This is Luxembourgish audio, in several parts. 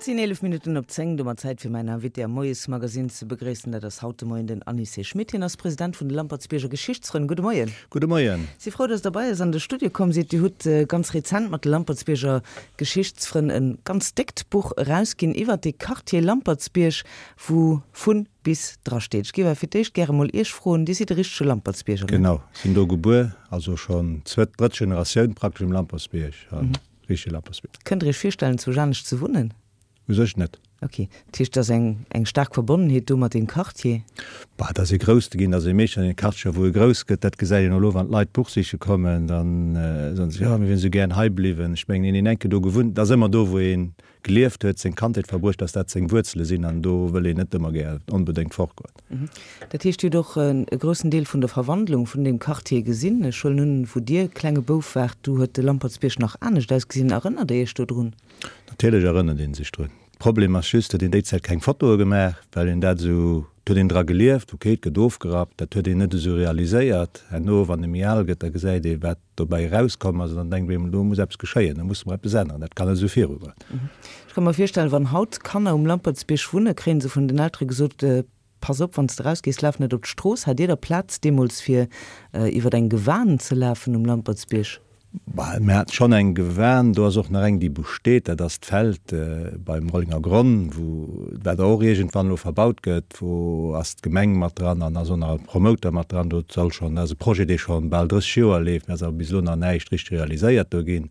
Et sinn 11 Minutten op 10, domat Zäit fir mäin Invité am Moiesmagazine ze begréissen. Dat ass haut de Moien den Anicet Schmit. Hien ass President vun de Lampertsbierger Geschichtsfrënn. Gudde Moien. Gudde Moien. Si frou, dass Der bei eis an de Studio komm sidd. Dir hutt ganz rezent mat de Lampertsbierger Geschichtsfrënn e ganz déckt Buch erausginn iwwert de Quartier Lampertsbierg, wou vun bis drasteet. Ech géif awer fir d'éischt gäre mol Iech froen, Dir sidd e richtege Lampertsbierger, ne? Genau, sinn do gebuer, also schonn zwëtt, drëtt Generatioun praktesch um Lampertsbierg. Richtege Lampertsbierg. Kënnt Der Iech virstellen, zu Janescht ze wunnen? U sech net. Ok. Dat heescht, et ass eng, eng staark Verbonnenheet do mat deem Quartier? Bah, et ass ee grouss ginn, et ass ee meeschtens an deene Quartieren, wou ee grouss gëtt. Dat gesäit een och elo, wann d'Leit d'Buch siche kommen, da soen se, jo, mir wieren esou gären hei bliwwen. Ech mengen, een, deen enke do gewunnt, et ass ëmmer do, wou ee gelieft huet, seng Kandheet verbruecht, dass dat seng Wuerzele sinn an do wëll een net ëmmer gär onbedéngt fortgoen. Dat heescht, Dir hutt och e groussen Deel vun der Verwandlung vun deem Quartier gesinn. Ech huelen un, wou Dir klenge Bouf waart, du huet de Lampertsbierg nach anescht ausgesinn. Erënnert Dir Iech do drun? Natierlech erënnert ee sech drun. Problem ass just, datt een déi Zäit keng Fotoe gemaach, well een dat esou, et huet een dra gelieft, ok, et gëtt ofgerappt, dat huet een net esou realiséiert. Herno, wann ee méi al gëtt, da gesäit ee, wat dobäi erauskomm ass, an dann denkt een, do muss eppes geschéien, do musse mer eppes änneren, dat kann net esou virugoen. Ech ka mer virstellen, wann haut Kanner um Lampertsbierg wunne, kréie se vun den Eltere gesot, Pass op, wann s de erausgees, laf net op d'Strooss. Hat Dir da Plaz deemools fir iwwer eng Gewan ze lafen um Lampertsbierg? Bah, mir haten schonn eng Gewan. Do ass och nach eng, déi besteet. Dat ass d'Feld beim Rollenger Gronn, wou, wat och iergendwann elo verbaut gëtt. Wou ass d'Gemeng mat dran an ass och nach e Promoter mat dran. Do soll schonn, dat ass e Projet, dee scho bal 30 Joer leeft, mä ass awer bis elo nach näischt richteg realiséiert do ginn.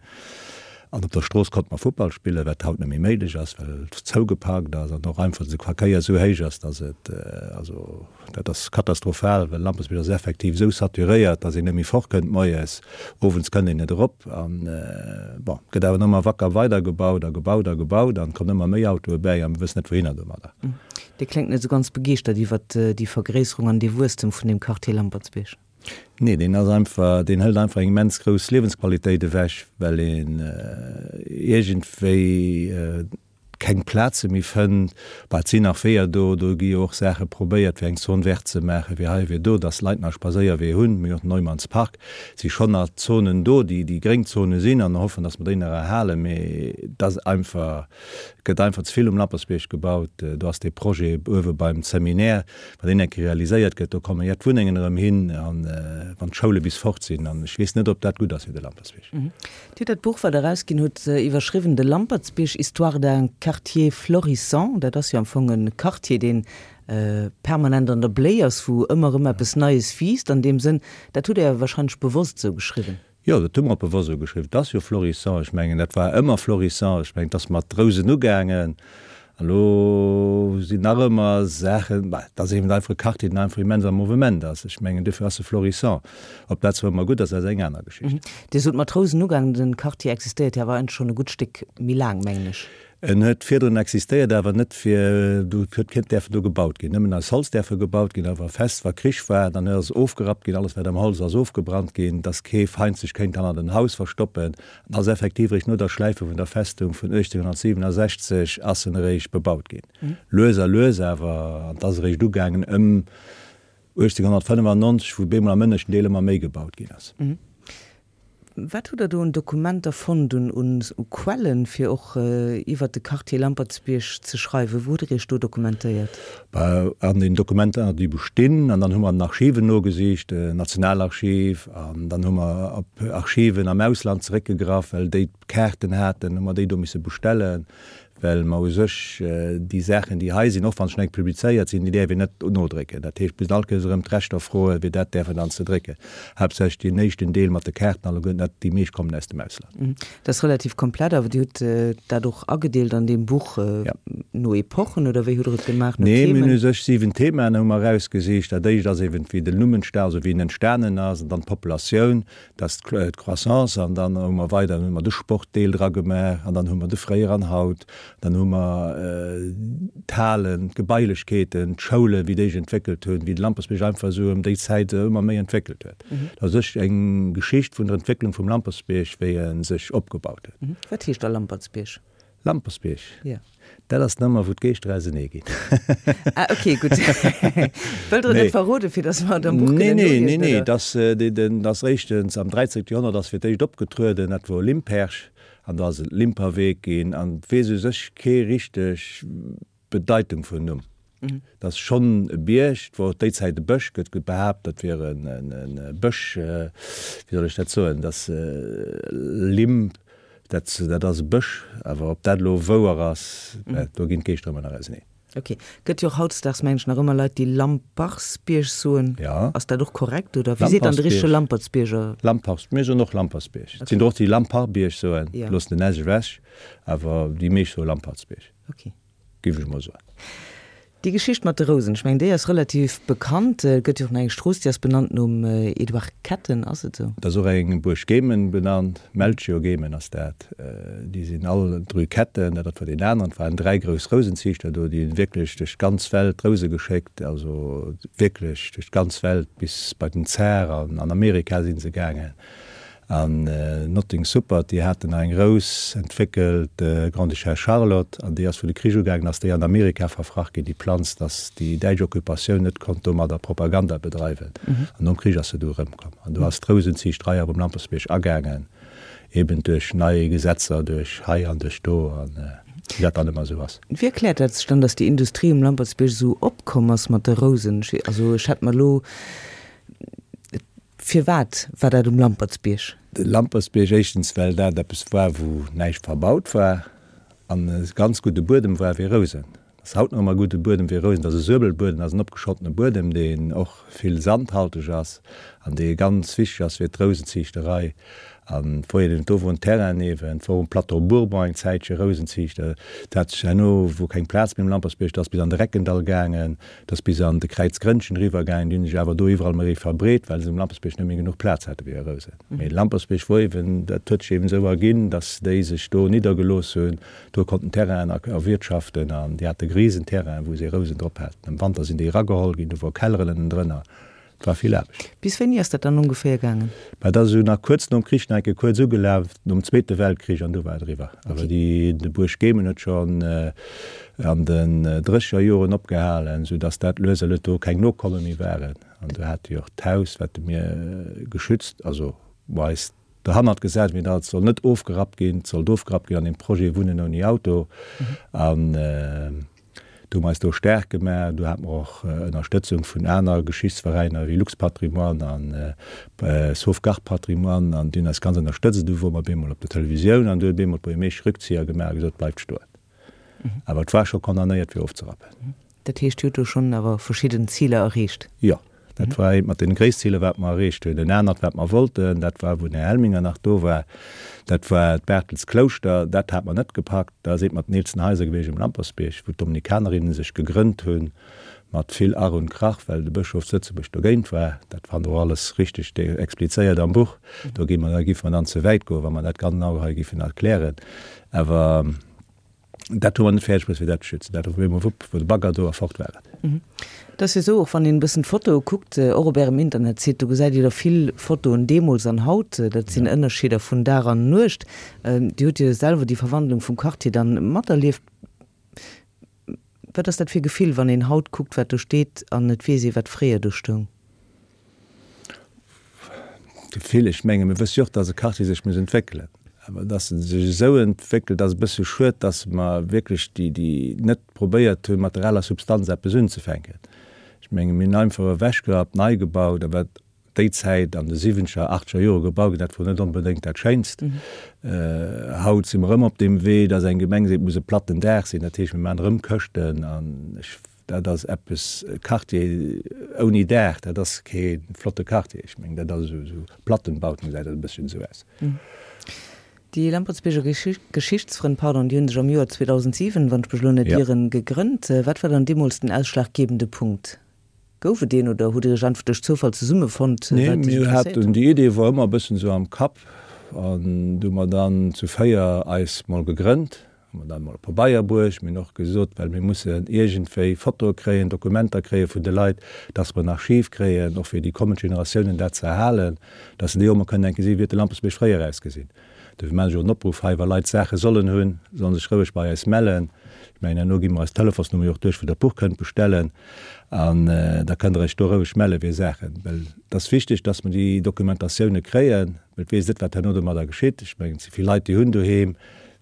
An op der Strooss konnte mer Futtball spillen, wat haut net méi méiglech ass, well et zougeparkt ass an och einfach de Verkéier esou héich ass, dass et, also dat ass katastrophal, well Lampertsbierg ass effektiv esou saturéiert, dass een net méi fortkënnt moies, owends kënnt een net erop. An bon, et gëtt awer ëmmer wacker weidergebaut a gebaut a gebaut an et kommen ëmmer méi Autoe bäi a mir wëssen net wouhinner domadder. Dir kléngt net esou ganz begeeschtert iwwert déi Vergréisserung an dee Wuesstem vun deem Quartier Lampertsbierg. Nee, deen ass einfach, deen hëlt einfach eng immens grouss Liewensqualitéit ewech, well een iergendwéi keng Plaze méi fënnt. Bah, et sinn nach Weeër do, do gi jo och Saache probéiert, fir eng Zone verte ze maachen, fir hei, fir do, dass d'Leit nach Spadséierwee hunn. Mir hunn och den Neumanns Park. Et si schonn nach Zonen do, déi déi gréng Zone sinn, an hoffen, dass mer déi nach erhalen. Mee et ass einfach, et gëtt einfach ze vill um Lampertsbierg gebaut. Do ass dee Projet uewe beim Seminaire, Wann deen eng Kéier realiséiert gëtt, do kommen ja d'Wunnengen erëm hin, an wann d'Schoule bis fort sinn. An ech weess net, ob dat gutt ass fir de Lampertsbierg. Dir hutt dat Buch, wat Der erausginn hutt, iwwerschriwwen De Lampertsbierg, histoire d'un quartier florissant. Dat ass jo am Fong e Quartier, dee permanent an der Bléi ass, wou ëmmer erëm eppes Neies wiisst. An deem Sënn, dat hutt Der wahrscheinlech bewosst esou geschriwwen. Jo, dat hu mer bewosst esou geschriwwen. Et ass jo florissant. Ech mengen, dat war ëmmer florissant. Ech mengen, et ass mat Rousen ugaangen. An elo sinn nach ëmmer Saachen, bah, et ass eben einfach e Quartier, deen einfach immens am Mouvement ass. Ech mengen, duerfir ass e florissant. Ob dat zwar ëmmer gutt ass, dat ass eng aner Geschicht. Dir sot mat Rousen ugaangen. Den Quartier existéiert jo awer eigentlech schonn e gutt Stéck méi laang, mengen ech. En huet virdrun existéiert, awer net fir, do huet keen däerfen do gebaut ginn, nëmmen aus Holz däerfe gebaut ginn, awer fest, wa Krich war, dann ass ofgerappt ginn, alles wat am Holz ass ofgebrannt ginn, dass kee Feind sech kéint hannert en Haus verstoppen. An ass effektiv eréischt no der Schläife vun der Festung vun 1867 ass en eréischt bebaut ginn. Lues a lues awer, an et ass eréischt ugaangen ëm 1895, wou bemol am ënneschten Deel ëmmer méi gebaut ginn ass. Wat hutt Der do un Dokumenter fonnt, un u Quellen, fir och iwwert de Quartier Lampertsbierg ze schreiwen? Wou hutt Der Iech do dokumentéiert? Bah, an den Dokumenter, déi bestinn. An dann hu mer an den Archiven nogesicht, Nationalarchiv, an dann hu mer op Archiven am Ausland zeréckgegraff, well déi d'Kaarten haten, hu mer déi do misse bestellen. Well mer u sech déi Saachen, déi hei sinn, och wa se schonn eng publizéiert sinn, déi däerf een net nodrécken. Dat heescht, bis all Kéiers erëm d'Rechter froen, fir dat däerfen dann ze drécken. Haaptsächlech deen éischten Deel mat de Kaarten alleguerten, dat, déi meescht kommen aus dem Ausland. Dat ass relativ komplett, awer Dir hutt dat och agedeelt an deem Buch no Epochen, oder wéi hutt Der et gemaach, no Themen? Nee, mir hunn u sech 7 Themaen hu mer erausgesicht. Dat éischt ass eben, wéi den Numm entsta, also wéi en entstanen ass, an dann d'Populatioun, Dat ass d'Croissance an dann hu mer weider, dann hu mer de Sportdeel dra gemaach an dann hu mer de Fréier an Haut, dann hu mer d'Halen, d'Gebailechkeeten, d'Schoulen, wéi déi sech entwéckelt hunn, wéi de Lampertsbierg einfach esou ëm déi Zäit ëmmer méi entwéckelt huet. Dat ass u sech eng Geschicht vun der Entwécklung vum Lampertsbierg, wéi e sech opgebaut huet. Wat heescht da Lampertsbierg? Lampertsbierg? Jo. Dat ass d'Nummer, wou d'Geeschter ausenee ginn. Ah, ok, gutt. Wëllt Der et net verroden, fir datt mer et am Buch kënnen noliesen, Nee, nee, nee. Dat ass éischtens am 13. Joerhonnert ass fir d'éischt opgetrueden, dat wor Limperch. An da ass et Limperweg ginn. An et weess u sech kee richteg d'Bedeitung vum Numm. Et ass schonn e Bierg, et wor déi Zäit e Bësch, gëtt behaapt, dat wier e Bësch, wéi soll ech dat soen, dass Limp, dat dat ass e Bësch, awer ob dat elo wouer ass, do ginn d'Geeschter ëmmer nach auseneen. Ok. Gëtt jo och hautdesdaags, mengen ech, nach ëmmer Leit, déi Lampartsbierg soen. Ja. Ass dat och korrekt, oder wéi seet dann de richtege Lampertsbierger? Lampars, mir soen och Lampertsbierg. Et sinn der och, déi Lamparbierg soen, loossen den s ewech, awer déi meescht soe Lampertsbierg. Ok. Géif ech mol soen. Déi Geschicht mat de Rousen, ech mengen déi ass relativ bekannt. Et gëtt jo och nach eng Strooss, déi ass benannt nom Edouard Ketten, ass et esou? Et ass och eng Buerg Gemen benannt, Melchior Gemen ass dat. Déi sinn all d'Rue Ketten, dat war deen aneren. Et waren 3 grouss Rousenziichter do, déi hunn wierklech duerch d'ganz Welt Rouse geschéckt, also wierklech duerch d'ganz Welt, bis bei den Zar an an Amerika si se gaangen. An Notting Suppert, déi haten nach eng Rous entwéckelt, Grande-Duchesse Charlotte, an déi ass, wou de Krich ugaangen ass, déi an Amerika verfracht ginn, déi Planz, datt déi däitsch Occupatioun net konnt domadder Propaganda bedreiwen. An nom Krich ass se du erëmkomm. An do ass d'Rousenziichterei awer um Lampersbierg agaangen, eben duerch nei Gesetzer, duerch hei an duerch do, an wéi dat dann ëmmer esou ass. Wéi erkläert dat sech dann, datt déi Industrie um Lampertsbierg esou opkomm ass mat de Rousen? Also ech hätt mer elo Firwat war dat um Lampertsbierg? De Lampertsbierg, éischtens well dat eppes war wou näischt verbaut war an e ganz gudde Buedem war fir Rousen. Ass haut nach ëmmer e gudde Buedem fir Rousen. Et ass e Suebelbuedem, ass en opgeschottene Buedem deen och vill sandhalteg ass an dee ganz wichteg ass fir d'Rousenziichterei. An et wor eben do wor en Terrain ewen, et wor um Plateau Bourbon eng Zäitche Rousenziichter. Dat hat sech herno, wor keng Plaz méi um Lampertsbierg, dat ass bis an de Reckendall gaangen. Et ass bis an de Kräizgrënnchen eriwwer gaangen, déi hunn sech awer do iwwerall méi verbreet, well se um Lampersbierg net méi genuch Plaz hate fir hir Rousen. Mee de Lampersbierg wor eben, dat huet sech eben esou erginn, datt déi sech do niddergelooss hunn, do konnten Terrainen erwirtschaften an déi hate Risenterrainen, wou se Rousen drop haten. Am Wanter sinn déi erageholl ginn, do wor Kelleren ënnendrënner. Et war vill Aarbecht. Bis wéini ass dat dann ongeféier gaangen? Mä dat ass esou nach kuerz nom Krich nach eng Kéier kuerz ugelaf, nom Zweete Weltkrich, an du war et eriwwer. Awer déi, de Buerg Gemen huet schonn an den drécheger Joren opgehalen, sou datt dat lues a lues do keng Nokomme méi waren. An do hate jo och d'Haus, wat mir geschützt, also wou eis derhannert gesat hunn, dat soll net ofgerappt ginn, et sollt ofgerappt ginn an deem Projet Wunnen ouni Auto. An Do hu mer eis do staark gemaach. Do hate mer och Ënnerstëtzung vun aner Geschichtsveräiner wéi Lux-Patrimoine a Sauvegarde Patrimoine an déi hunn eis ganz ënnerstëtzt. Du wore mer bemol op der Televisioun an du huet bemol d'Buergermeesch Rückzieher gemaach a gesot, bleift stoen. Awer et war scho condamnéiert fir ofzerappen. Dat heescht, Dir hutt do schonn awer verschidden Ziler erreecht? Jo. Dat war eent mat den gréisst Ziler, wat mer erreecht hunn. En anert, wat mer wollten, dat war, wou den Här Helminger nach do war, dat war d'Bertels-Klouschter. Dat hat mer net gepackt. Dat ass eent mat den eelsten Haiser gewiescht um Lampersbierg, wou d'Dominikanerinnen sech gegrënnt hunn, mat vill Ach und Krach, well de Bëschof zu Lëtzebuerg dogéint war. Dat fannt Der och alles richteg explizéiert am Buch. Do gi mer, da géife mer dann ze wäit goen, wa mer dat genau hei géifen erklären. Awer. Dat hu mer net fäerdeg bruecht, fir dat ze schützen. Dat op eemol, wupp, wor de Bagger do a fort war et. Et ass jo esou, och wann een e bëssen d'Fotoe kuckt, och op Ärem Internetsite, do gesäit Dir der vill Fotoen deemools an haut. Dat sinn Ënnerscheeder vun Dag an Nuecht. Dir hutt jo selwer déi Verwandlung vum Quartier dann materlieft. Wat ass dat fir e Gefill, wann een haut kuckt, wat do steet an et weess ee, wat fréier do stoung? Gefill, ech menge mir wësse jo och, datt e Quartier sech muss entwéckelen. Awer datt e sech esou entwéckelt, ass e bësse schued, datt mer wierklech déi, déi net probéiert hunn, mat der aler Substanz eppes unzefänken. Ech menge mir hunn einfach ewechgerappt, nei gebaut, a wat déi Zäit an de siwwenzeger, achtzeger Jore gebaut ginn, dat wor net onbedéngt dat Schéinst. Haut si mer erëm op deem Wee, datt eng Gemeng seet, et muss e platten Daach sinn, dat heescht, mir maachen erëm Këschten an ech Dat ass eppes, e Quartier ouni Daach, dat ass kee flotte Quartier. Ech mengen, dat ass esou, esou Plattenbauten gesäit dat e bësschen esou aus. Déi Lampertsbierger Geschichtsfrënn, pardon, déi hu sech am Joer 2007, wann ech mech elo net ieren, gegrënnt. Wat war dann deemools den ausschlaggebende Punkt? Gouf et deen oder hutt Dir iech einfach duerch Zoufall zesummefonnt, Nee, wat Iech mir interesséiert haten, huet? déi Idee wor ëmmer e bëssen esou am Kapp an du hu mer dann zu 4 eis mol gegrënnt. Hu mer dann emol op Pabeier bruecht. Mir hunn och gesot, well mir mussen iergendwéi Fotoe kréien, Dokumenter kréie vun de Leit, dass mer en Archiv kréien, och fir déi kommend Generatiounen dat ze erhalen, dass se déi och emol kënnen enke sinn, wéi huet de Lampertsbierg fréier ausgesinn. Dofir maachen ech och en Opruff hei, wa Leit Saache sollen hunn, sollen sech roueg bei eis mellen. Ech mengen, herno gi mer eis Telefonsnummer jo och duerch, wou Der d'Buch kënnt bestellen. An da kënnt Der Iech do roueg mellen, fir Saachen. Well et ass wichteg, dass mer déi Dokumentatioune kréien. Well et weess net, wat herno domadder geschitt. Ech mengen, et si vill Leit, déi hunn doheem,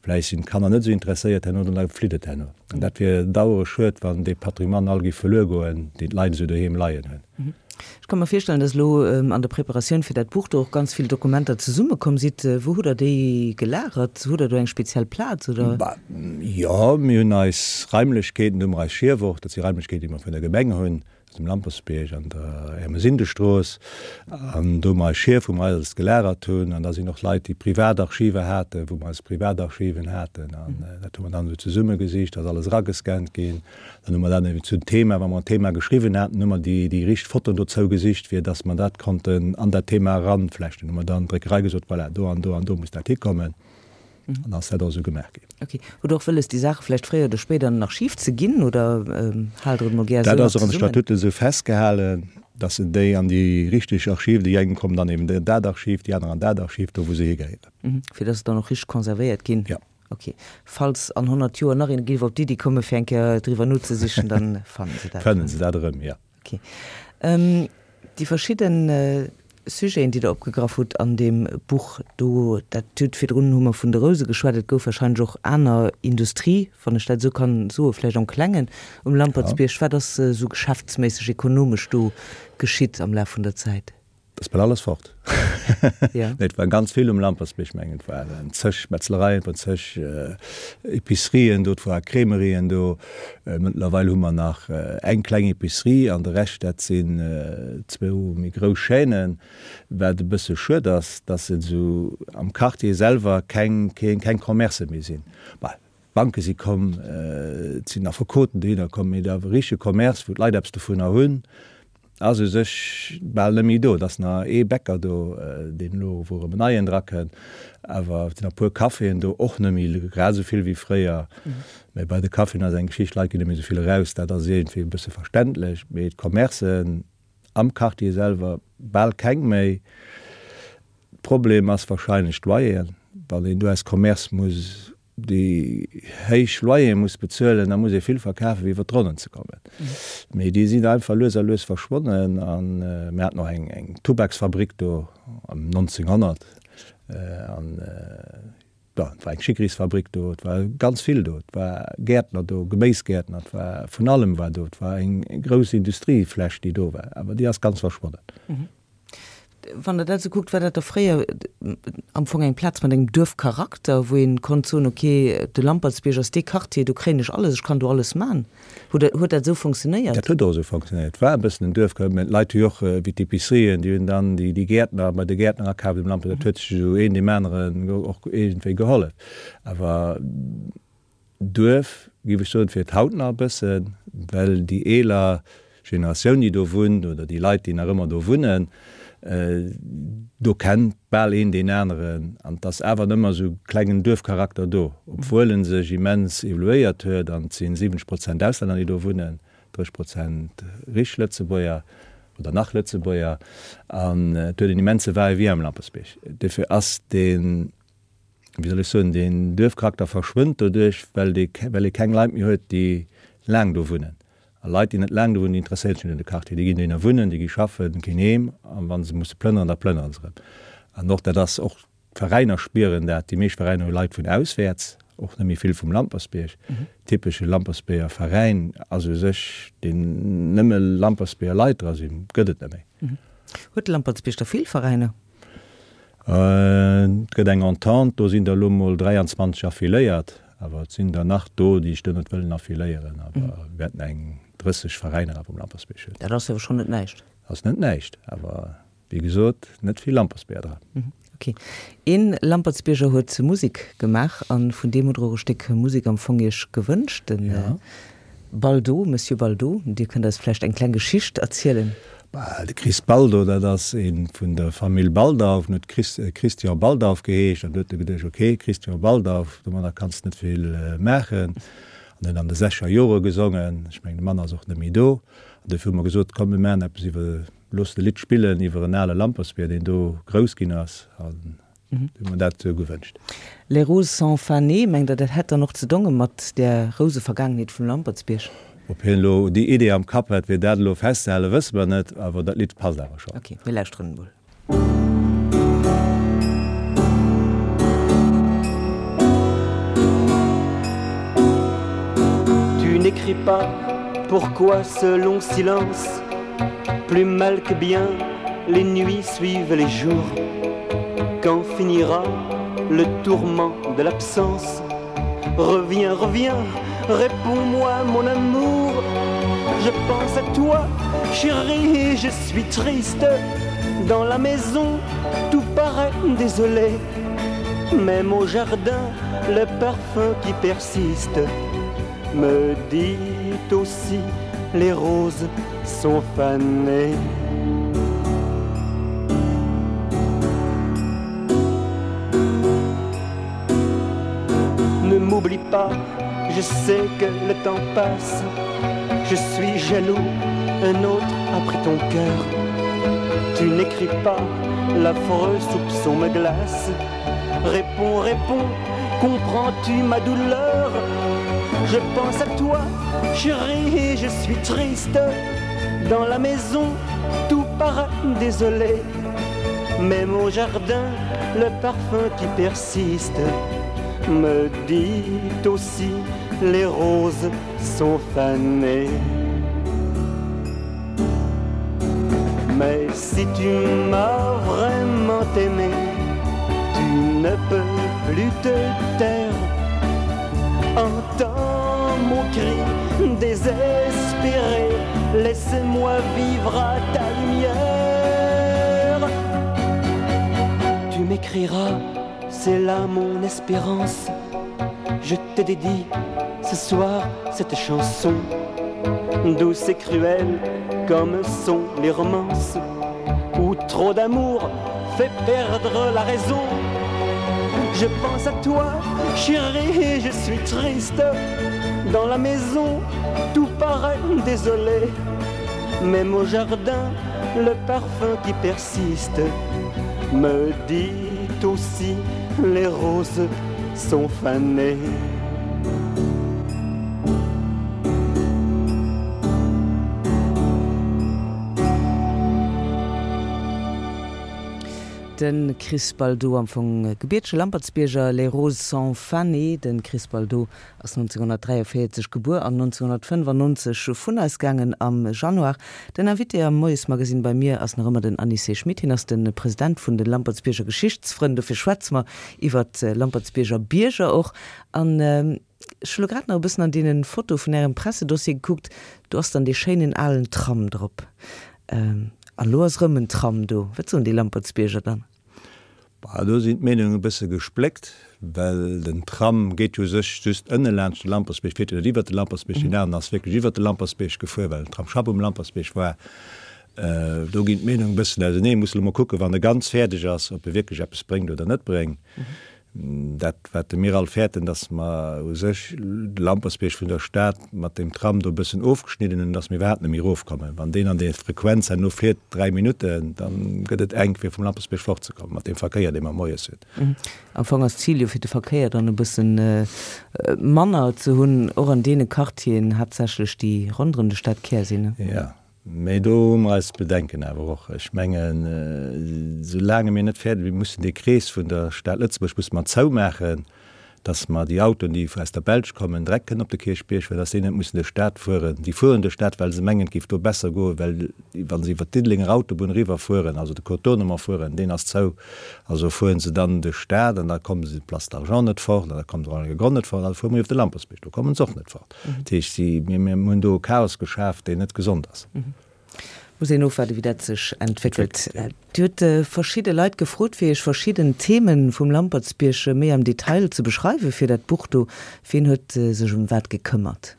vläicht sinn d'Kanner net esou interesséiert herno, dann da flitt et herno. An dat wier dauere schued, wann dee Patrimoine all géif verluer goen, deen d'Leit esou doheem leien hunn. Ech ka mer virstellen, dass elo an der Preparatioun fir dat Buch do och ganz vill Dokumenter zesummekomm sidd. Wou hutt Der déi gelagert? Hutt Der do eng speziell Plaz, oder? Bah, jo, mir hunn eis Raimlechkeeten, do hu mer eis Schief och, dat si Raimlechkeeten, déi mer vun der Gemeng hunn. Ass um Lampertsbierg an der Ermesindestrooss an do hu mer eis Schief, wou mer alles gelagert hunn an da sinn och Leit, déi Privatarchiver haten, wou mer eis Privatarchiven haten an dat hu mer dann esou zesummegesicht, ass alles eragescannt ginn. Dann hu mer dat eben zum Thema, wa mer en Thema geschriwwen haten, hu mer déi déi richteg Fotoen dozou gesicht, fir datt mer dat konnten an dat Thema eranflechten. Hu mer dann d'Dréckerei gesot, voilà, do an do an do muss dat hikommen. An ass dat och esou gemaach ginn. Ok. Hutt Der och wëlles, déi Saache vläicht fréier oder spéider an den Archiv ze ginn oder haalt Der et mol gär esou nach zesummen? Dat ass och an de Statuten esou festgehalen, dass se déi an déi richteg Archiv, déi eng kommen dann eben an dat Archiv, déi aner an dat Archiv, do wou se higehéieren. Fir dass se dann och richteg konservéiert ginn? Jo. Ok. Falls an 100 Joer nach een géif op d'Iddi komme fir eng Kéier driwwer nozesichen, dann fannen se dat erëm. Fannen se dat erëm, jo. Ok. Déi verschidden Sujeten, déi Der opgegraff hutt an deem Buch do, dat hutt, virdrun hu mer vun de Rouse geschwat, et gouf wahrscheinlech och aner Industrie, wann ech dat esou kann soen, vläicht am Klengen um Lampertsbierg. Wat ass esou geschäftsméisseg, ekonomesch do geschitt am Laf vun der Zäit? Dat ass bal alles fort. Nee, et war ganz vill um Lampertsbierg, mengen et waren zeg Metzlereien, et waren zeg Epicerien do, et war Crèmerien do. Mëttlerweil hu mer nach eng kleng Epicerie an de Rescht dat sinn zwou méi grouss Chaînen. Wat e bësse schued ass, dass et esou am Quartier selwer keng keng Commercë méi sinn. Bah, d'Banke si komm, et sinn Affekoten dohinner komm, mee de richtege Commerce, wou d'Leit eppes dovunner hunn, Ass u sech bal net méi do. Et ass nach ee Bäcker do, deen elo, wou erëm en neien drakënnt. Awer et sinn nach e puer Caféen do, och net méi grad esou vill wéi fréier. Mä bei de Caféen ass eng Geschicht, d'Leit ginn net méi esou vill eraus, dat ass iergendwéi e bësse verständlech. Mee d'Commercen am Quartier selwer bal keng méi. Problem ass wahrscheinlech d'Loyeren. Wann een do aus Commerce muss déi héich Loyere muss bezuelen, da muss ee vill verkafen, fir iwwer d'Ronnen ze kommen. Mee déi sinn einfach lues a lues verschwonnen. A mir haten och eng, eng Tubaksfabrik do ëm 1900. An, bon, et war eng Schickerisfabrik do, et war ganz vill do. Et war Gäertner do, Geméisgäertner, et war vun allem war do. Et war eng grouss Industriefläch, déi do war, awer déi ass ganz verschwonnen. Wann Der dat esou kuckt, war dat da fréier am Fong eng Plaz mat engem Duerfcharakter, wou een konnt soen, ok, de Lampertsbierg ass dee Quartier, do kréien ech alles, ech kann do alles man. Huet huet dat esou funktionéiert? Dat huet och esou funktionéiert. Et war e bëssen en Duerfcharakter, mä d'Leit hu jo och, wéi d'Epicerien, déi hunn dann déi Gäertner bei de Gäertner akaaft um Lampertsbierg. Dat huet sech esou een deem aneren och iergendwéi gehollef. Awer Duerf, géif ech soen, fir et haut nach e bëssen, well déi eeler Generatioun, déi do wunnt, oder déi Leit, déi nach ëmmer do wunnen, do kennt bal een deen aneren an et ass awer ëmmer esou e klengen Duerfcharakter do, obwuel en sech immens evoluéiert huet an et si 70 Prozent Auslänner, déi do wunnen, 30 Prozent richteg Lëtzebuerger oder nach Lëtzebuerger an et huet en immense Va-et-vient am Lampertsbierg. Dofir ass deen wéi soll ech soen, deen Duerfcharakter verschwënnt doduerch, well dee, well ee keng Leit méi huet, déi laang do wunnen. A Leit, déi net laang do wunnen, déi interesséieren sech net un de Quartier. Déi ginn dohinner wunnen, déi gi schaffen, ginn heem a wa se musse plënneren, da plënnere se erëm. An och dat ass, och d'Veräiner spieren dat. Déi meescht Veräiner hu Leit vun auswäerts, och net méi vill vum Lampertsbierg. Typesche Lampertsbierger Veräin ass u sech, deen nëmme Lampertsbierger Leit dra sinn, gëtt et net méi. Huet de Lampertsbierg da vill Veräiner? Et gëtt eng Entente, do sinn der elo mol 23 affiléiert, awer et sinn der nach do, déi sech do net wëllen affiléieren. Awer mir wäerten eng 30 Veräiner awer um Lampertsbierg hunn. Dat ass jo schonn net näischt. Ass net näischt, awer wéi gesot, net vill Lampertsbierger dran. Ok. Ee Lampertsbierger huet Musek gemaach a vun deem hutt Der och e Stéck Musek am Fong Iech gewënscht, den Baldo, Monsieur Baldo, Dir kënnt eis vläicht eng kleng Geschicht erzielen? Bah, de Chris Baldo, dat ass ee vun der Famill Baldauf, en huet Chris, Christian Baldauf geheescht an du huet e geduecht, ok, Christian Baldauf, domadder kanns de net vill maachen. An huet an de sechzeger Jore gesongen, ech mengen de Mann ass och net méi do. An dofir hu mer gesot, komm mir maachen eppes iwwer, looss e Lidd spillen iwwer en ale Lampertsbier, deen do grouss ginn ass. An Hu mer dat esou gewënscht. Les roses sont fanées, mengt Der, dat hätt dann och ze donge mat där Rousevergaangenheet vum Lampertsbierg? Ob hien elo déi Idee am Kapp hat, fir dat elo festzehalen, wësse mer net, awer dat Lidd passt awer schonn. Ok, mir lauschteren emol. pas, pourquoi ce long silence Plus mal que bien, les nuits suivent les jours. Quand finira le tourment de l'absence Reviens, reviens, réponds-moi mon amour. Je pense à toi, chérie, je suis triste. Dans la maison, tout paraît désolé. Même au jardin, le parfum qui persiste me dit aussi les roses sont fanées. Ne m'oublie pas, je sais que le temps passe. Je suis jaloux, un autre a pris ton cœur. Tu n'écris pas, l'affreux soupçon me glace. Réponds, réponds, comprends-tu ma douleur Je pense à toi, chérie, je suis triste. Dans la maison, tout paraît désolé. Même au jardin, le parfum qui persiste me dit aussi les roses sont fanées. Mais si tu m'as vraiment aimé, tu ne peux plus te taire. Entends mon cri désespéré, laisse-moi vivre à ta lumière. Tu m'écriras, c'est là mon espérance. Je te dédie ce soir cette chanson douce et cruelle comme sont les romances où trop d'amour fait perdre la raison. Je pense à toi, chérie, je suis triste. Dans la maison, tout paraît désolé. Même au jardin, le parfum qui persiste me dit aussi les roses sont fanées. De Chris Baldo, am Fong gebiertege Lampertsbierger, Les roses sont fanées. De Chris Baldo ass 1943 gebuer an 1995 vun eis gaangen am Januar. Den Invité am Moiesmagazine bei mir ass nach ëmmer den Anicet Schmit. Hien ass de President vun de Lampertsbierger Geschichtsfrënn. Dofir schwätze mer iwwer d'Lampertsbierger Bierger och. An ech hu lo grad nach e bëssen an deene Fotoe vun Ärem Pressedossier gekuckt, do ass dann dee schéinen alen Tram drop. An elo ass erëm en Tram do. Wat soen déi Lampertsbierger dann? Bah, do sinn d'Meenungen e bësse gespléckt, well den Tram geet jo u sech just ënne laanscht de Lampertsbierg, fiert jo net iwwert de Lampertsbierg. Deen aneren ass wierklech iwwert de Lampertsbierg gefuer, well den Tramsschapp um Lampertsbierg war. Do ginn d'Meenungen e bëssen auseneen. Muss elo mol kucken, wann e ganz fäerdeg ass, ob e wierklech eppes bréngt oder net bréngt. Dat, wat de mir all fäerten, dass mer u sech de Lampertsbierg vun der Stad mat deem Tram do e bëssen ofgeschnidden hunn, dass mir iwwerhaapt net méi erofkommen. Wann deen an där Frequenz herno fiert, 3 Minutten, da gëtt et enk, fir vum Lampertsbierg fortzekommen, mat deem Verkéier, dee mer moies hunn. Am Fong ass d'Zil jo, fir de Verkéier dann e bësse manner ze hunn, och an deene Quartieren haaptsächlech, déi ronderëm de Stadkär sinn. Jo. Mee do hu mer eis Bedenken awer och. Ech mengen, soulaange mir net fäerdeg, mir mussen dee Krees vun der Stad Lëtzebuerg musse mer zoumaachen, dass mer déi Autoen, déi aus der Belsch kommen, direkt kënnen op de Kierchbierg fueren, dass déi net mussen duerch d'Stad fueren. Déi fueren duerch d'Stad, well se mengen, et géif do besser goen, well wa se iwwert d'Diddelenger Autobunn eriwwerfueren, also de Contournement fueren, deen ass zou, also fuere se dann duerch d'Stad an da komme se d'Place d'Argent net fort an da komme se och an de Gronn net fort, also fuere mer iwwer de Lampertsbierg, do komme se och net fort. Dat heescht, si, mir, mir hunn do e Chaos geschaf, deen net gesond ass. Muss een ofwaarden, wéi dat sech entwéckelt. Dir hutt verschidde Leit gefrot, fir Iech verschidden Themen vum Lampertsbierg méi am Detail ze beschreiwen fir dat Buch do. Wien huet sech ëm wat gekëmmert?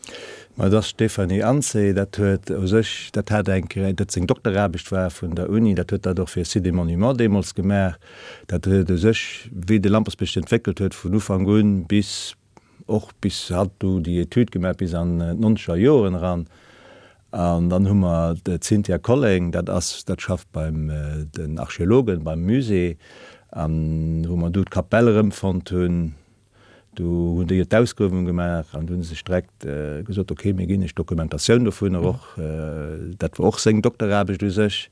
Ma et ass d'Stéphanie Ansay, dat huet u sech, dat hat eng Kéier, dat seng Dokteraarbecht war vun der Uni, dat huet dat och fir Sites et Monuments deemools gemaach. Dat huet u sech, wéi de Lampertsbierg sech entwéckelt huet vun Ufank un bis och bis hatt do déi Etüd gemaach bis an d'nonzeger Joren eran. An dann hu mer d'Cynthia Colling, dat ass, dat schafft beim den Archeologen, beim Musée, an wou mer do d'Kapell erëmfonnt hunn, do hunn déi jo d'Ausgruewung gemaach an do hu se sech direkt gesot, okay, mir ginn iech d'Dokumentatioun dovunner och. Dat war och seng Dokteraarbecht u sech.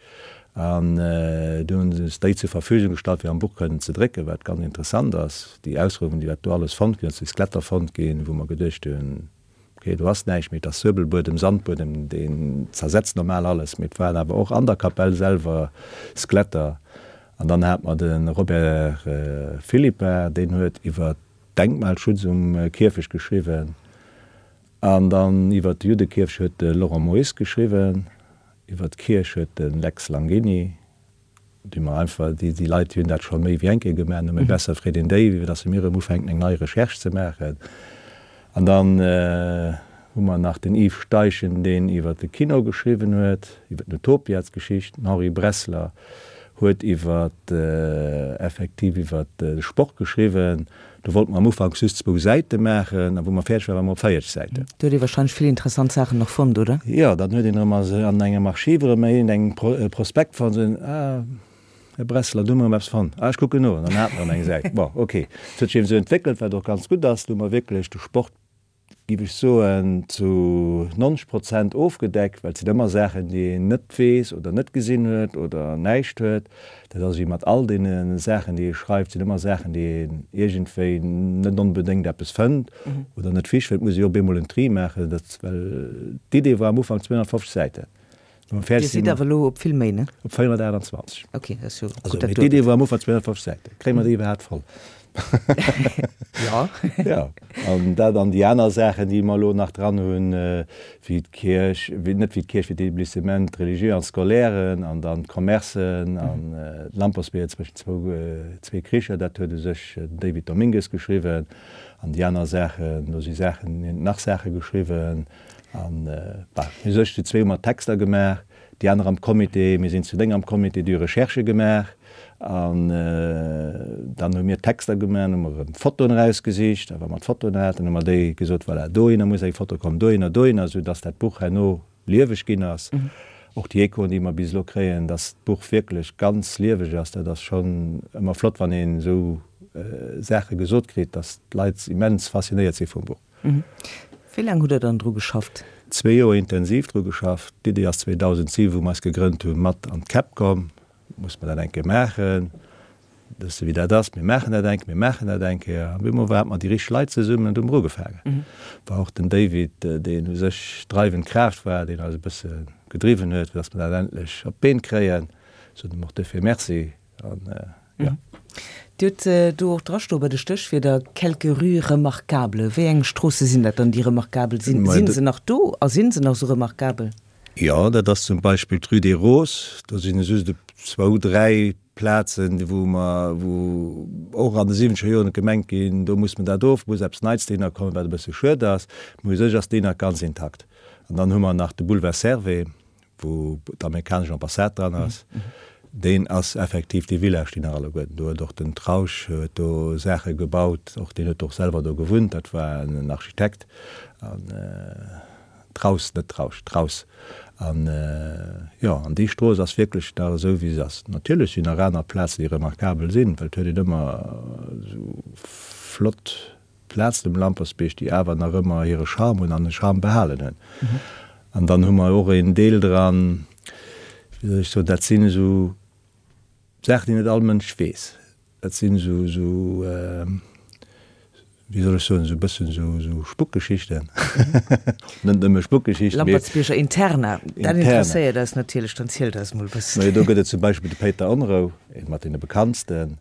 An du hunn se ons déi zur Verfügung gestallt, fir am Buch kënnen ze drécken, wat ganz interessant ass, déi Ausgruewung, déi wat do alles fonnt ginn ass, déi Skeletter fonnt ginn, wou mer geduecht hunn, Ok, do ass näischt méi, et ass Suebelbuedem, Sandbuedem, deen zersetzt normal alles, mee et waren awer och an der Kapell selwer Skeletter. An dann hat mer de Robert Philippart, deen huet iwwer Denkmalschutz um Kierfecht geschriwwen. An dann iwwer de Juddekierfecht huet de Laurent Moyse geschriwwen, iwwer d'Kierch huet de Lex Langini Déi mer einfach, déi, déi Leit, déi hunn dat scho méi wéi eng Kéier gemaach, nëmme besser freet een déi, wéi datt se mir erëm ufänken eng nei Recherche ze maachen. An dann hu mer nach den Yves Steichen, deen iwwer de Kino geschriwwen huet, iwwer den Utopiatsgeschicht. Den Henri Bressler huet iwwer, effektiv iwwer de Sport geschriwwen. Do wollte mer am Ufank just zwou Säite maachen, a wou mer fäerdeg waren, ware mer op 40 Säiten. Do huet ee wahrscheinlech vill interessant Saachen nach fonnt, oder? Jo, dann huet een erëm an engem Archiv erëm iergendeng Prospekt fonnt, esou, ah, Här Bressler, do hu mer erëm eppes fonnt, ah, ech kucken no, an dann hat mer erëm eng Säit. Bon, ok, et huet sech eben esou entwéckelt, wat och ganz gutt ass. Do hu mer wierklech de Sport giff ech soen, zu 90 Prozent ofgedeckt, well et sinn ëmmer Saachen, déi een net weess oder net gesinn huet oder näischt huet. Dat ass ewéi mat all deene Saachen, déi ee schreift, sinn ëmmer Saachen, déi een iergendwéi net onbedéngt eppes fënnt oder net ficht, well et muss ee jo op eemol en Tri maachen, dat, well d'Idee war am Ufank 250 Säiten. Dir sidd awer elo op vill méi, ne? Op 428. Ok, dat ass jo gutt dat D'Idee war am Ufank 250 Säiten. Kréie mer déi iwwerhaapt voll? Jo. Jo, an dat an déi aner Saachen, déi mer elo nach dran hunn, wéi d'Kierch, wéi, net wéi d'Kierch, wéi d'Établissements religieux an scolaires an dann d'Commercen an d'Lampersbier zwëschen zwou, zwee Kricher, dat huet u sech den David Domingues geschriwwen. An déi aner Saachen, do si Saachen, hien huet nach Saache geschriwwen. An, bah, mir sech zu zwee hu mer d'Texter gemaach, déi aner am Comité, mir sinn zu 9 am Comité, déi hu Recherchë gemaach. An dann hu mir d'Texter gemaach, dann hu mer erëm Fotoen erausgesicht. A wa mer d'Fotoen haten, hu mer déi gesot, voilà, dohinner muss eng Foto kommen, dohinner, dohinner, esou dass dat Buch herno lieweg ginn ass. Och déi Echoen, déi mer bis elo kréien, dass d'Buch wierklech ganz lieweg ass, dat ass schonn ëmmer flott, wann een esou Saache gesot kritt, dass d'Leit immens faszinéiert si vum Buch. Wéi laang hutt Der dann dru geschafft? Zwee Joer intensiv dru geschafft. D'Iddi ass 2007, wou mer eis gegrënnt hunn, mat an d'Käpp komm. Muss mer dat eng Kéier maachen? Wëss de wéi dat ass, mir maachen dat eng Kéier, mir maachen dat eng Kéier. An op eemol hate mer déi richteg Leit zesummen an du hu mer ugefaangen. War och den David, deen u sech d'dreiwend Kraaft war, deen eis e bësse gedriwwen huet, fir datt mer dat endlech op d'Been kréien. Soen em och duerfir Merci. An jo. Dir hutt do och drastoe bei de Stéchwierder quelques rues remarquables. Wéi eng Stroosse sinn dat dann, déi remarquabel sinn? Sinn se nach do a sinn se nach esou remarquabel? Jo, dat ass zum Beispill d'Rue des Roses. Do sinn just e zwou, dräi Plazen, wou mer, wou och an de siwwenzeger Joren et gemengt ginn, do muss mer dat of, muss eppes Neits dohinner kommen, wat e bësse schued ass. Mee u sech ass déi nach ganz intakt. An dann hu mer nach de Boulevard Servais. wou d'amerikanesch Ambassade dran ass, deen ass effektiv, déi Villa stinn nach alleguerten do, huet och den Trausch huet do Saache gebaut, och deen huet och selwer do gewunnt, dat war en Architekt an Traus, net Trausch, Traus an jo, an déi Strooss ass wierklech nach esou wéi se ass. Natierlech sinn nach aner Plazen déi remarkabel sinn, well et huet een ëmmer esou flott Plazen um Lampertsbierg, déi awer nach ëmmer hire Charme hunn an de Charme behalen hunn. An dann hu mer och een Deel dran, wéi soll ech soen, dat sinn esou Saachen, déi net all Mënsch weess. Dat sinn esou, esou, wéi soll ech soen, esou e bëssen esou, esou Spuckgeschichten. Net nëmme Spuckgeschichten, mee. Lampertsbierger Interna, dat interesséiert eis natierlech. Dann zielt eis emol e bëssen. Majo, do gëtt et zum Beispill de Péiter Onrou, ee mat deene bekanntsten.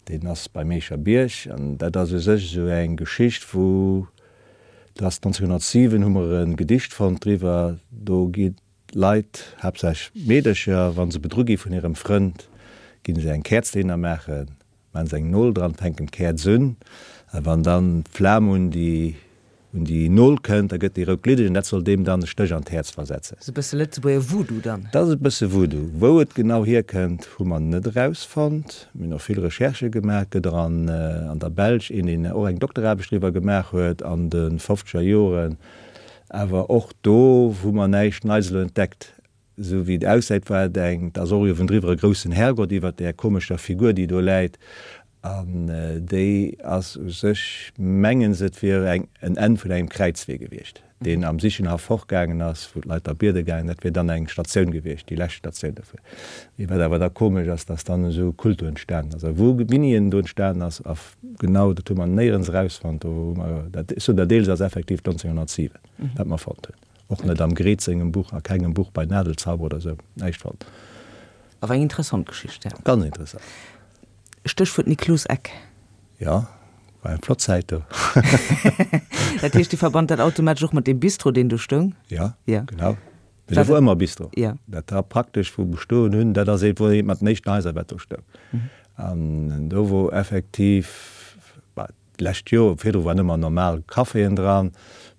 Deen ass beim Eecher Bierg an dat ass u sech esou eng Geschicht, wou, dat ass 1907, hu mer e Gedicht fonnt driwwer, do gi Leit, haaptsächlech Meedercher, wa se bedru gi vun hirem Frënd, gi se eng Käerz dohinner maachen, maachen se eng Nol dran, fänken d'Käerz un a wann dann d'Flam un déi Un déi Nol kënnt, da gëtt déi rout gliddeg an dat soll deem dann e Stéch an d'Häerz versetzen. Ass e bësse Lëtzebuerger Voodoo dann? Dat ass e bësse Voodoo. Wou et genau hierkënnt, hu mer net erausfonnt. Mir hunn och vill Recherchë gemaach. Et gëtt och an an der Belsch een, deen och eng Dokteraarbecht driwwer gemaach huet an de fofzeger Joren. Awer och do hu mer näischt Neits elo entdeckt. Esou wéi et aussäit, war et eng, et ass och uewendriwwer e groussen Herrgott iwwert där komescher Figur, déi do läit. An déi ass u sech, mengen se, et wier eng en Enn vun engem Kräizwee gewiescht, deen am Sichenhaff fortgaangen ass, wou d'Leit da biede gaangen. Dat wier dann eng Statioun gewiescht, déi lescht Statioun dofir. Mee wat awer da komesch ass, dass dann esou e Kult do entstanen ass. A wou wéini en do entstanen ass a genau, dat hu mer néierens erausfonnt. Do hu mer, dat, ech soen der deels ass effektiv 1907, wat mer fonnt hunn. Och net am Gredt sengem Buch, a kengem Buch bei Nadelzauber oder esou, näischt fonnt. Awer eng interessant Geschicht, ja. Ganz interessant. Stéchwuert Niklos Eck. Jo, war eng flott Zäit do. Dat heescht, Dir verbannt dat automatesch och mat deem Bistro, deen do stoung? Jo, genau. Mee do wor ëmmer Bistro. Dat war praktesch, wou bestoen hunn, dat ass eent, wor eent mat den éischten Haiser, wat do stoung. An do wor effektiv, D'lescht Joer virdru waren ëmmer normal Caféen dran,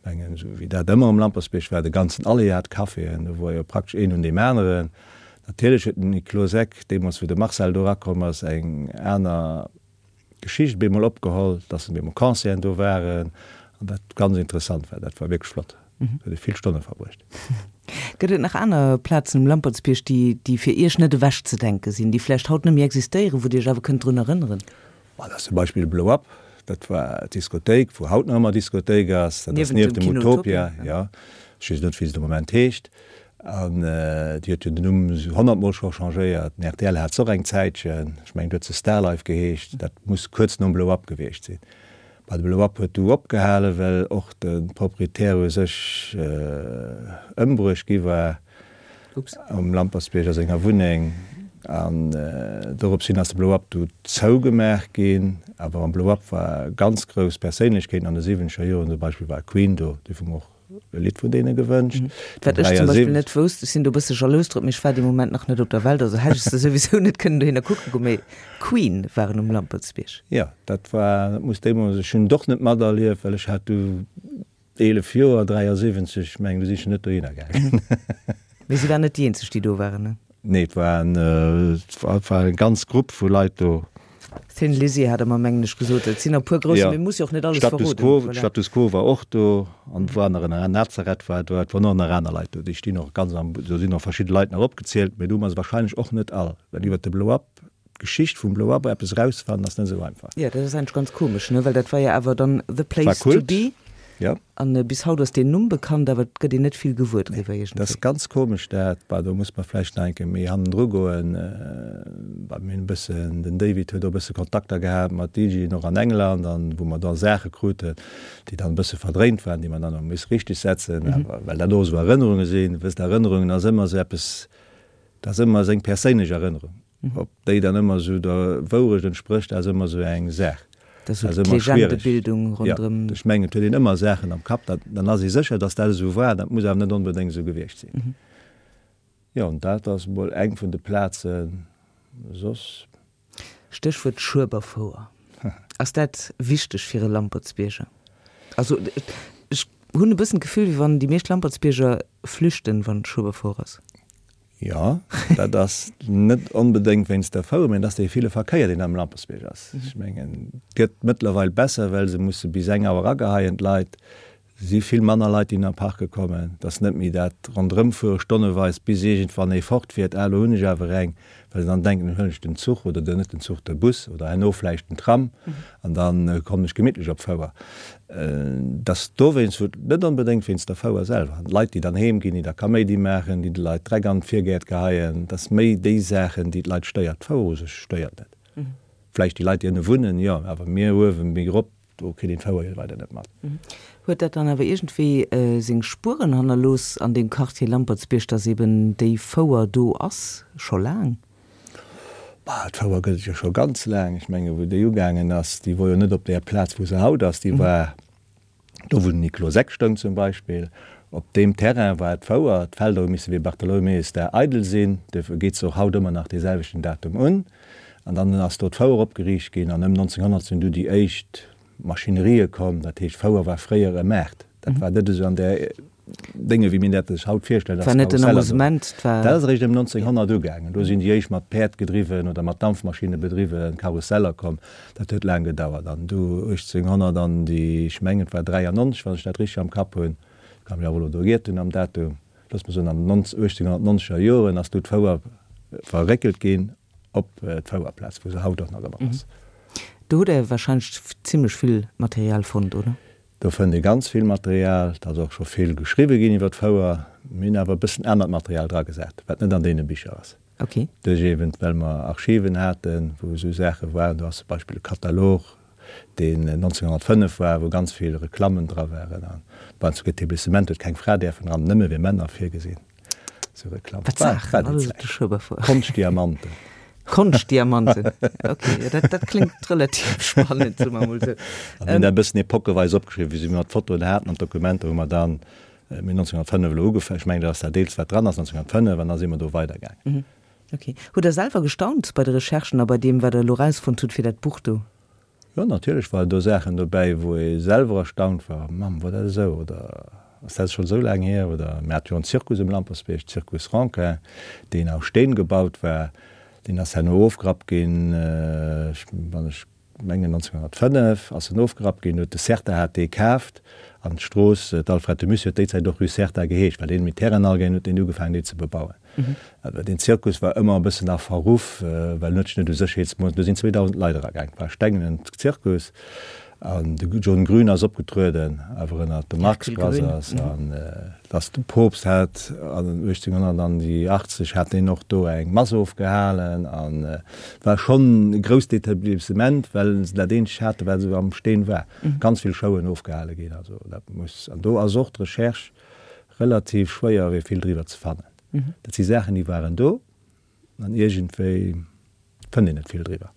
mengen esou wéi dat ëmmer um Lampertsbierg war, de ganzen Allee hat Caféen, do wor jo praktesch een un deem aneren. Natierlech huet den Niklos Eck deemools wou de Marcel do erakomm ass eng aner Geschicht op eemol opgeholl, dass op eemol Concerten do waren an dat ganz interessant war. Dat war wierklech flott, do huet ee vill Stonne verbruecht. Gëtt et nach aner Plazen um Lampertsbierg, déi déi fir Iech net ewechzedenke sinn, déi vläicht haut net méi existéieren, wou Dir Iech awer kënnt drun erënneren? Ma dat ass zum Beispill de Blow Up, dat war d'Diskothéik, wou haut nach ëmmer Diskothéik ass. Dat ass nieft dem Utopia, jo. Ech weess net, wéi se de Moment heescht. An déi huet jo den Numm esou honnertmol scho changéiert. Den rtl hat se och eng Zäitchen, ech mengen, do huet se Starlife geheescht. Dat muss kuerz nom Blow Up gewiescht sinn. Bah, de Blow Up huet du opgehalen, well och de Proprietär u sech ëmbruecht gi war. Um Lampertsbierg a senger Wunneng. An dorops hin ass de Blow Up du zougemaach ginn. Awer am Blow Up war ganz grouss Perséinlechkeeten an de siwwenzeger Joren, zum Beispill war Queen do, déi hu mer och e Lidd vun deene gewënscht. Wat ech zum Beispill net wousst, ech sinn do e bësse jalous drop, mee ech war dee Moment nach net op der Welt, also hätt ech se souwisou net kënnen dohinner kucke goen, mee Queen waren um Lampertsbierg. Jo, dat war, dat muss deemools, ech hunn et och net materlieft, well ech hat du 11 Joer, 73, ech mengen, du si schon net dohinner gaangen. Mee si waren net déi eenzeg, déi do waren, ne? Nee, et waren, et war eng ganz Grupp vu Leit do. Thin Lizzy hat Der mer, mengen ech, gesot. Et sinn der e puer grouss, mee muss jo och net alles verroden. Status Quo, voilà. Status Quo war och do an et war nach en Nazareth war do, et waren och nach aner Leit do. Déi stinn och ganz am, do sinn och verschidde Leit nach opgezielt, mee do hu mer se wahrscheinlech och net all, well iwwert de Blow Up D'Geschicht vum Blow Up eppes erausfannen ass net esou einfach. Jo, dat ass eigentlech ganz komesch, ne, well dat war jo awer dann the place to be. Jo. An bis haut ass deen Numm bekannt, awer et gëtt een net vill gewuer driwwer iergendwéi. Dat ass ganz komesch dat. Bah, do muss mer vläicht nach eng Kéier méi hannendru goen. Bah, mir hunn e bëssen, den David huet och e bësse Kontakter gehat mat DJen och an England an wou mer da Saache kruten, déi dann e bësse verdréint waren, déi mer dann hu misse richteg setzen, awer well dat och esou Erënnerunge sinn. Wësst, Erënnerungen ass ëmmer esou eppes, dat ass ëmmer seng perséinlech Erënnerung. Ob déi dann ëmmer esou der Wourecht entsprécht, ass ëmmer esou eng Saach. Dat ass esou d'Legendebildung ronderëm. Jo, ech mengen, et huet een ëmmer Saachen am Kapp, dat, dann ass ee sécher, datt dat esou war, dat muss awer net onbedéngt esou gewiescht sinn. Jo, an dat ass emol eng vun de Plazen. Soss. Stéchwuert Schueberfouer. Ass dat wichteg fir e Lampertsbierger? Also, ech hunn e bëssen d'Gefill, wéi wann déi meescht Lampertsbierger flüchten, wann Schueberfouer ass. Jo, dat ass net onbedéngt wéinst der Fouer, mä et ass dee ville Verkéier, deen am Lampertsbierg ass. Ech mengen, et gëtt mëttlerweil besser, well se musse bis eng Auer ageheien, d'Leit. Et si vill manner Leit, déi an Parke kommen. Et ass net méi dat Ronderëmfuere stonneweis, bis iergendwann ee fortfiert, ah, elo hunn ech awer eng, well se dann denken, elo huelen ech den Zuch oder net den Zuch, de Bus oder herno vläicht den Tram an da kommen ech gemittlech op d'Fouer. Dass dowéinst, wou net onbedéngt wéinst der Fouer selwer, an d'Leit déi dann heem ginn, déi da Kaméidi maachen, déi de Leit Dreck an d'Virgäert geheien, dass méi déi Saachen déi d'Leit stéiert. D'Fouer u sech stéiert net. Vläicht déi Leit déi ënne wunnen, jo, awer mir uewen, méi erop, do kritt een d'Fouer jo leider net mat. Huet dat dann awer iergendwéi seng Spueren hannerlooss an deem Quartier Lampertsbierg, dass eben déi Fouer do ass, scho laang? Bah, d'Fouer gëtt et jo scho ganz laang. Ech menge wou déi ugaangen ass, déi wor jo net op där Plaz wou se haut ass, déi war do wou den Niklos Eck stoung zum Beispill. Op deem Terrain war d'Fouer. D'Felder hu misse wéi Bartholomäusdag eidel sinn, duerfir geet se och haut ëmmer nach dee selwechten Datum un. An dann ass do d'Fouer opgeriicht ginn an ëm 1900 sinn du déi éischt Maschinerië komm. Dat heescht, Fouer war fréier e Maart. Dat war net esou an där Dénge wéi mir dat sech haut virstellen, dass war net den Amusement. Dat ass eréischt ëm 1900 ugaangen. Do sinn déi éischt mat Päerd gedriwwen oder mat Dampfmaschinne bedriwwen Karusseller komm. Dat huet laang gedauert. An du 1800 an déi, ech mengen et war 93, wann ech dat richteg am Kapp hunn, kann mech awer elo do giert hunn am Datum, looss mer soen an den 1890er Joren ass du d'Fouer verréckelt ginn op d'Fouerplaz, wou se haut och nach ëmmer ass. Do hutt Der warscheinlech zimlech vill Material fonnt, oder? Do fënnt ee ganz vill Material. Et ass och scho vill geschriwwe ginn iwwer d'Fouer. Mir hunn awer e bëssen anert Material dragesat, wat net an deene Bicher ass. Ok. Duerch eben, well mer Archiven haten, wou esou Saache waren. Do ass zum Beispill e Katalog, deen 1905 war, wou ganz vill Reklammen dra waren. An bei uns Etablissement huet keng Fra däerfen eran, nëmme fir Männer virgesinn. Esou Reklamm. Wat Saachen, alles op de Schueberfouer. Konschtdiamanten. Konschtdiamanten, ok, jo dat, dat kléngt relativ spannend, soe mer emol esou. An mir hunn dat e bëssen epoqueweis opgeschriwwen, wéi mer d'Fotoen haten an d'Dokumenter, hu mer dann, mir hunn 1905 elo ugefaangen, ech mengen dat ass dat eelst wat dran ass, 1905, an da si mer do weidergaangen. Ok. Hutt Der selwer gestaunt bei de Recherchen a bei deem, wat Der elo erausfonnt hutt fir dat Buch do? Jo, natierlech waren do Saachen dobäi, wou ee selwer erstaunt war, Mamm, wor dat esou? Oder ass dat schonn esou laang hier? Oder mir hate jo en Zirkus um Lampertsbierg, Zirkus Renquin, deen aus Steen gebaut war. Deen ass herno ofgerappt ginn, ech, wann ech mengen 1905 ass en ofgerappt ginn, huet de Serta hat dee kaaft an d'Strooss, d'Alfred de Musset huet déi Zäit och Rue Serta geheescht, well deen mit Terrainen all gaangen huet deen ugefaangen dee ze bebauen. Awer deen Zirkus war ëmmer e bëssen a Verruff, well en huet sech net u Sécherheetsmoossnamen, do sinn 2.000 Leit eragaang, et war e stengenen Zirkus an de John Grün ass opgetrueden, awer ënnert de Marx Brothers an dass de Poopst hat an 1880 hat deen och do eng Mass ofgehalen an et war schonn e grousst Etablissement, well se dat eenzegt haten, wat esou am Steen war, ganz vill Showen ofgehale ginn, also dat muss, an do ass och d'Recherche relativ schwéier fir vill driwwer ze fannen. Dat si Saachen déi waren do an iergendwéi fënnt een net vill driwwer.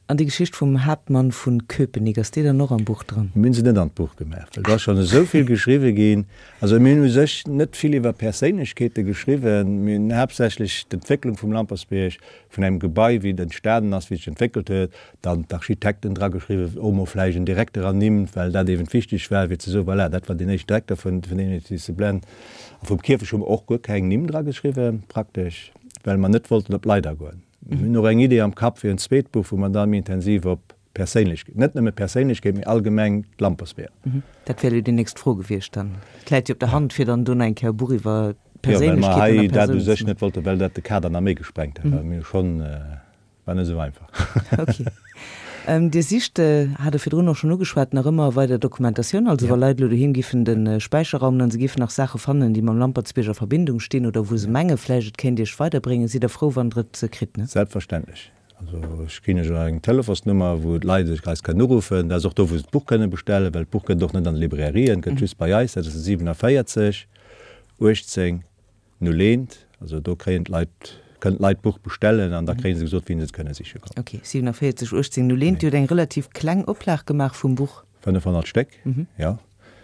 An déi Geschicht vum Haaptmann vun Köpenick, ass déi dann och am Buch dran? Mir hunn se net an d'Buch gemaach, well do ass schonn esou vill geschriwwe ginn. Also mir hunn u sech net vill iwwer Perséinlechkeete geschriwwen. Mir hunn haaptsächlech d'Entwécklung vum Lampertsbierg, vun engem Gebai, wéi et entstanen ass, wéi et sech entwéckelt huet, dann d'Architekten drageschriwwen, och mol vläicht en Direkter ernimmt, well dat eben wichteg war, fir ze soen, voilà, dat war deen éischten Direkter vun deem Etablissement. A vum Kierfecht hu mer och guer keng Nimm drageschriwwen, praktesch, well mer net wollten op d'Leit agoen. Mir hunn och eng Idee am Kapp fir en zweet Buch, wou mer da méi intensiv op Perséinlechkeet, net nëmme Perséinlechkeet, mee allgemeng d'Lampersweeër. Dat wär elo déi nächst Fro gewiescht dann. Et läit jo op der Hand, fir dann do nach eng Kéier e Buch iwwer Perséinlechkeeten a Persounen ze maachen. Jo, well mer hei dat u sech net wollten, well dat de Kader nach méi gesprengt hätt. Well mir hu schonn. War net esou einfach. Ok. Dir sicht, hat Der virdrun och schonn ugeschwat, nach ëmmer weider Dokumentatioun. Also wa Leit elo doheem giffen de Späicher raumen an se giffen nach Saache fannen, déi mam Lampertsbierg a Verbindung stinn oder wou se menge vläicht et kéint Iech weiderbréngen, sidd Der frou, wann Der et kritt, ne? Selbstverständlech. Also ech ginn Iech och eng Telefonsnummer, wou d'Leit sech eis kënnen uruffen. Dat ass och do, wou se d'Buch kënne bestellen, well d'Buch gëtt et och net an de Librairien, gëtt just bei eis. Dat ass de 47 18 01, also do kréien d'Leit, kënnen d'Leit d'Buch bestellen an da kréie se gesot, wéini se et kënne siche kommen. Ok, 47 18 01. Dir hutt eng relativ kleng Oplag gemaach vum Buch. 500 Stéck, jo.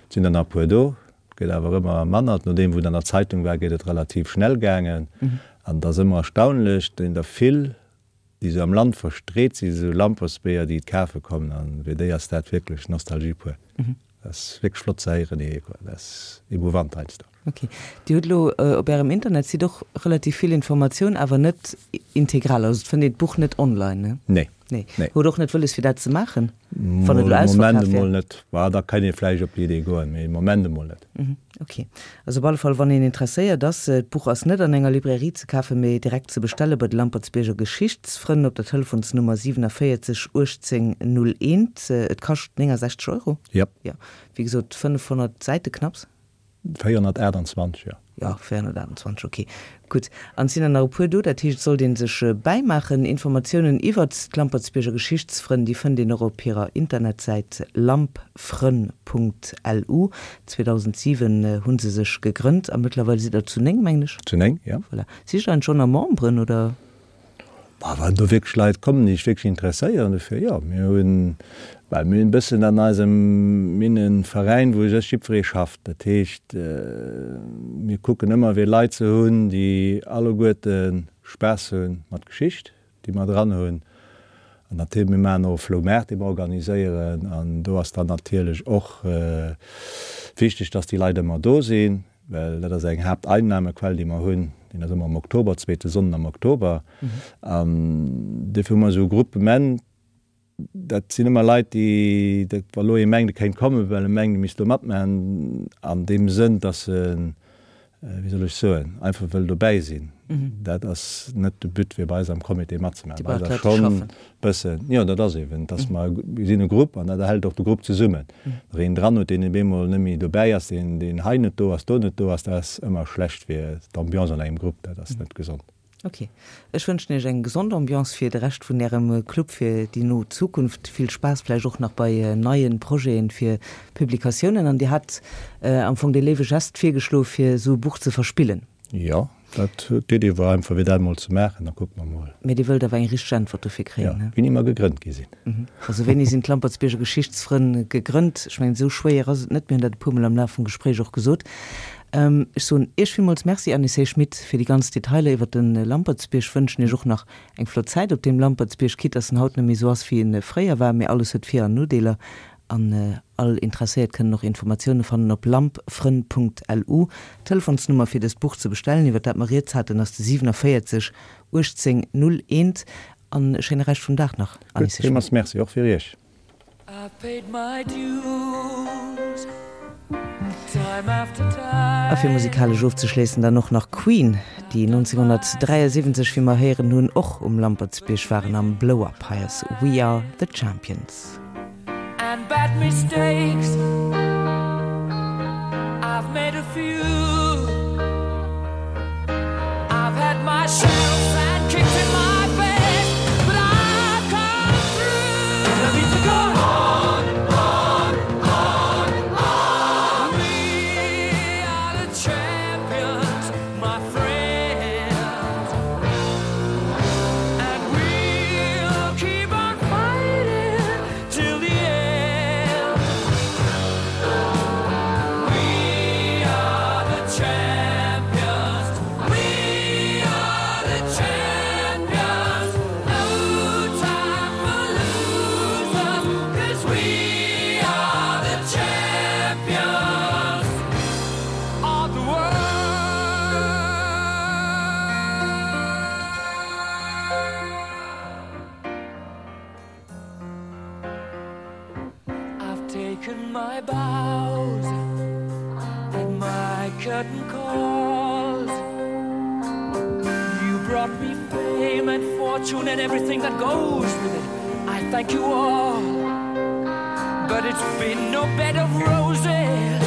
Et sinn der nach e puer do, et gëtt awer ëmmer manner. Nodeem wou et an der Zeitung war, geet et relativ schnell gaangen. An et ass ëmmer erstaunlech, et sinn der vill, déi esou am Land verstreet sinn, esou Lampersbeeër, déi et kafe kommen. An fir déi ass dat wierklech Nostalgie pur. Dat ass wierklech flott ze héieren, dat ass emouvant heiansdo. Ok. Dir hutt elo op Ärem Internetsite och relativ vill Informatioun, awer net integral. Also et fënnt een d'Buch net online, ne? Nee. Nee. Nee. Hutt och net wëlles fir dat ze maachen, wann et elo ausverkaf wär? Moment emol net. Bah, da kéint ee vläicht op déi Idee goen, mee Moment emol net. Ok. Also op alle Fall, wann een interesséiert ass, d'Buch ass net an enger Librairie ze kafen, mee direkt ze bestelle bei de Lampertsbierger Geschichtsfrënn op der Telefonsnummer 47 18 01. Et kascht 69 Euro. Jep. Jo. Wéi gesot, 500 Säite knapps. 428, jo. Jo, 428, ok. Gutt. An et sinn der nach e puer do, dat heescht, et sollt ee sech bäimaachen. Informatiounen iwwert d'Lampertsbierger Geschichtsfrënn, déi fënnt een och op hirer Internetsäit lampfrënn.lu. 2007 hu se sech gegrënnt a mëttlerweil sidd der zu 9, mengen ech. Zu 9, jo. Voilà. Sicht der schonn a Memberen, oder? Bah, wann do wierklech Leit kommen, déi sech wierklech interesséieren dofir, jo. Mir hunn, well mir hunn e bëssen an eisem, mir hunn e Veräin, wou u sech jiddweree schafft. Dat heescht, mir kucken ëmmer fir Leit ze hunn, déi alleguerte Spaass hu mat Geschicht, déi mer dran hunn. An natierlech, mir maachen och e Floumaart, dee mer organiséieren. An do ass dann natierlech och wichteg, dass déi Leit ëmmer do sinn. Well dat ass eng Haapteinnahmequell, déi mer hunn. Deen ass ëmmer am Oktober, zweete Sonnden am Oktober. An duerfir hu mer esou e Groupement. Dat sinn ëmmer Leit, déi, dat, wa lo ee mengt, e kéint kommen, well e mengt, e misst do matmaachen, an deem Sënn, dass en. wéi soll ech soen, einfach wëll dobäi sinn, dat ass net de But fir bei eis am Comité matzemaachen. Bei eis ass schonn e bëssen, jo dat ass eben, dass mer, mir sinn e Grupp an dat erhält och de Grupp zesummen. Wann een dran huet, deen op eemol net méi dobäi ass, deen deen hei net do ass, do net do ass, dat ass ëmmer schlecht fir d'Ambiance an engem Grupp, dat ass net gesond. Ok. Ech wënschen Iech eng gesond Ambiance fir de Rescht vun Ärem Club fir déi no Zukunft. Vill Spaass vläicht och nach bei neien Projeten fir Publikatiounen. An Dir hat am Fong dee léiwe Gest virgeschloe fir esou e Buch ze verspillen. Jo, dat, d'Idee war einfach fir dat emol ze maachen, da kucke mer mol. Mee Dir wëllt awer eng richteg Äntwert dofir kréien, ne? Jo, wéini mer gegrënnt gi sinn. Also wéini sinn d'Lampertsbierger Geschichtsfrënn gegrënnt? Ech mengen, esou schwéier ass et net. Mir hunn dat e puermol am Laf vum Gespréich och gesot. Ech soen Iech villmools Merci, Anne-Cé Schmit, fir déi ganz Detailer iwwert de Lampertsbierg. Wënschen Iech och nach eng flott Zäit op deem Lampertsbierg, quitte dass en haut net méi esou ass, wéi en fréier war. Mee alles huet Vir an Nodeeler. An all Interesséiert kënnen och Informatioune fannen op lampfrënn.lu. D'Telefonsnummer fir dëst Buch ze bestellen, iwwert dat mer rieds haten, ass de 47 18 01. An e schéine Rescht vum Dag nach, Anne-Cé Schmit. Gutt, villmools Merci och fir Iech. A fir musikalesch ofzeschléissen dann och nach Queen, déi 1973, wéi mer héieren hunn, och um Lampertsbierg waren am Blow Up. Hei ass We Are The Champions. And bad mistakes I've made a few I've had my share of sand kicked in my face But I've come through To go on, on, on, on We are the champions, my friends And we'll keep on fighting till the end We are the champions We are the champions No time for losers 'Cause we are the champions of the world I've taken my bows and my curtain calls You brought me fame and fortune and everything that goes with it I thank you all But it's been no bed of roses.